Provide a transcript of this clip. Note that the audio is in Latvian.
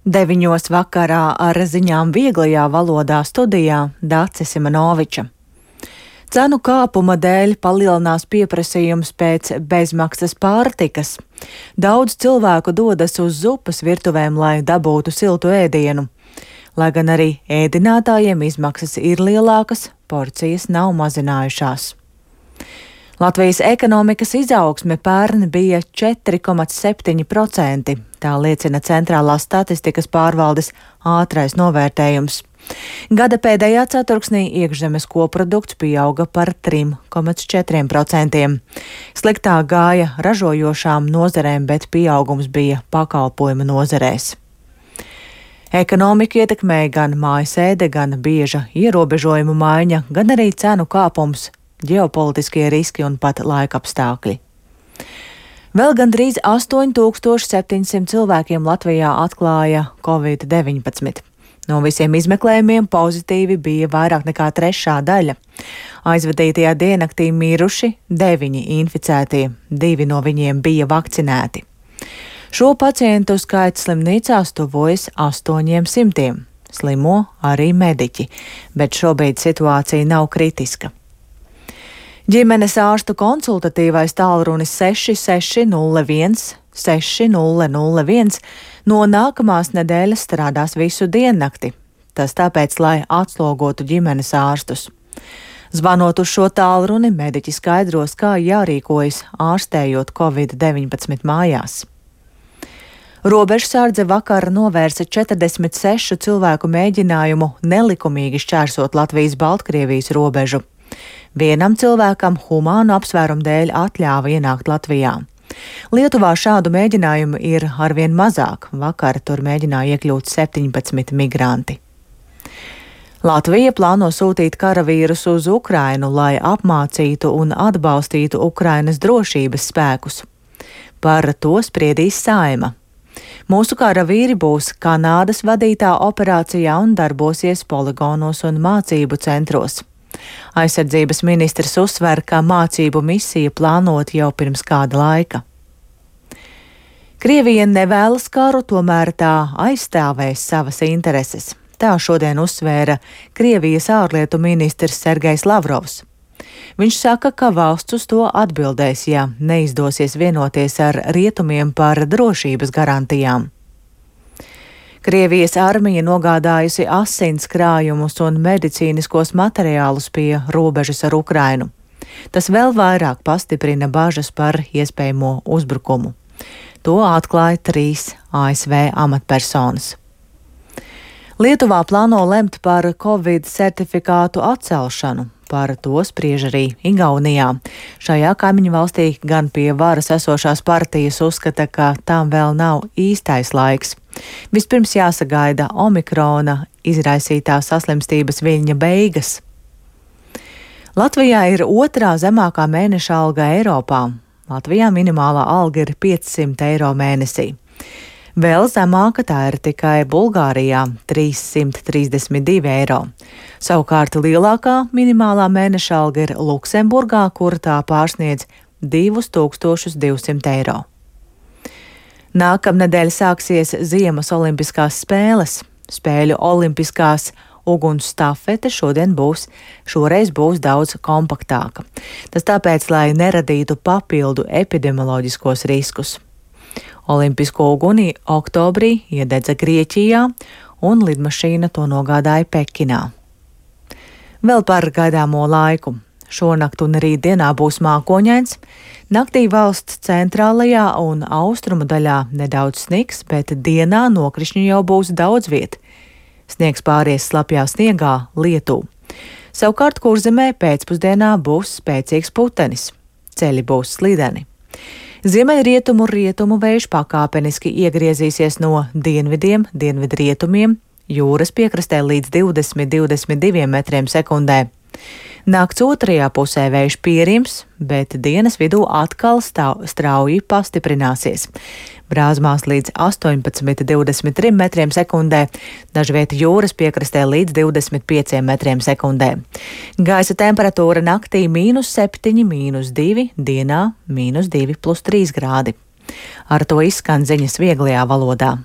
9 vakarā ar ziņām vieglajā valodā studijā Dace Simanoviča. Cenu kāpuma dēļ palielinās pieprasījums pēc bezmaksas pārtikas. Daudz cilvēku dodas uz zupas virtuvēm, lai dabūtu siltu ēdienu. Lai gan arī ēdinātājiem izmaksas ir lielākas, porcijas nav mazinājušās. Latvijas ekonomikas izaugsme pērn bija 4,7%, tā liecina Centrālās statistikas pārvaldes ātrais novērtējums. Gada pēdējā ceturksnī iekšzemes koprodukts pieauga par 3,4%. Sliktāk gāja ražojošām nozarēm, bet pieaugums bija pakalpojumu nozarēs. Ekonomiku ietekmēja gan mājasēde, gan bieža ierobežojumu maiņa, gan arī cenu kāpums, ģeopolitiskie riski un pat laikapstākļi. Vēl gandrīz 8700 cilvēkiem Latvijā atklāja Covid-19. No visiem izmeklējumiem pozitīvi bija vairāk nekā trešā daļa. Aizvadītajā diennaktī miruši 9 inficētie, 2 no viņiem bija vakcinēti. Šo pacientu skaits slimnīcās tuvojas 800. Slimo arī mediķi, bet šobrīd situācija nav kritiska. Ģimenes ārstu konsultatīvais tālrunis 6601 6001 no nākamās nedēļas strādās visu diennakti. Tas tāpēc, lai atslogotu ģimenes ārstus. Zvanot uz šo tālruni, mediķi skaidros, kā jārīkojas ārstējot Covid-19 mājās. Robežsardze vakar novērsa 46 cilvēku mēģinājumu nelikumīgi šķērsot Latvijas-Baltkrievijas robežu. Vienam cilvēkam humānu apsvērumu dēļ atļāva ienākt Latvijā. Lietuvā šādu mēģinājumu ir arvien mazāk. Vakar tur mēģināja iekļūt 17 migranti. Latvija plāno sūtīt karavīrus uz Ukrainu, lai apmācītu un atbalstītu Ukrainas drošības spēkus. Par to spriedīs Saeima. Mūsu karavīri būs Kanādas vadītā operācijā un darbosies poligonos un mācību centros. Aizsardzības ministrs uzsver, ka mācību misija plānota jau pirms kāda laika. Krievija nevēlas karu, tomēr tā aizstāvēs savas intereses. Tā šodien uzsvēra Krievijas ārlietu ministrs Sergejs Lavrovs. Viņš saka, ka valsts uz to atbildēs, ja neizdosies vienoties ar rietumiem par drošības garantijām. Krievijas armija nogādājusi asins krājumus un medicīniskos materiālus pie robežas ar Ukrainu. Tas vēl vairāk pastiprina bažas par iespējamo uzbrukumu. To atklāja 3 ASV amatpersonas. Lietuvā plāno lemt par Covid certifikātu atcelšanu. Par to spriež arī Igaunijā. Šajā kaimiņu valstī gan pie varas esošās partijas uzskata, ka tām vēl nav īstais laiks. Vispirms jāsagaida omikrona izraisītā saslimstības viļņa beigas. Latvijā ir otrā zemākā mēneša alga Eiropā. Latvijā minimālā alga ir 500 eiro mēnesī. Vēl zemāka tā ir tikai Bulgārijā - 332 eiro. Savukārt lielākā minimālā mēneša alga ir Luksemburgā, kur tā pārsniedz 2200 eiro. Nākamnedēļ sāksies Ziemas olimpiskās spēles. Spēļu olimpiskās uguns stafete šoreiz būs daudz kompaktāka. Tas tāpēc, lai neradītu papildu epidemioloģiskos riskus. Olimpisko uguni oktobrī iededza Grieķijā, un lidmašīna to nogādāja Pekinā. Vēl par gaidāmo laiku. Šonakt un rītdienā būs mākoņains. Naktī valsts centrālajā un austrumu daļā nedaudz sniks, bet dienā nokrišņu jau būs daudz viet. Sniegs pāries slapjā sniegā, lietu. Savukārt Kurzemē pēcpusdienā būs spēcīgs putenis. Ceļi būs slideni. Ziemeļrietumu vējš pakāpeniski iegriezīsies no dienvidiem, dienvidrietumiem, jūras piekrastē līdz 20–22 metriem sekundē. Nakts otrajā pusē vējš pierims, bet dienas vidū atkal strauji pastiprināsies. Brāzmās līdz 18–23 metriem sekundē, dažviet jūras piekrastē līdz 25 metriem sekundē. Gaisa temperatūra naktī -7, -2, dienā -2 + 3 grādi. Ar to izskan ziņas vieglajā valodā.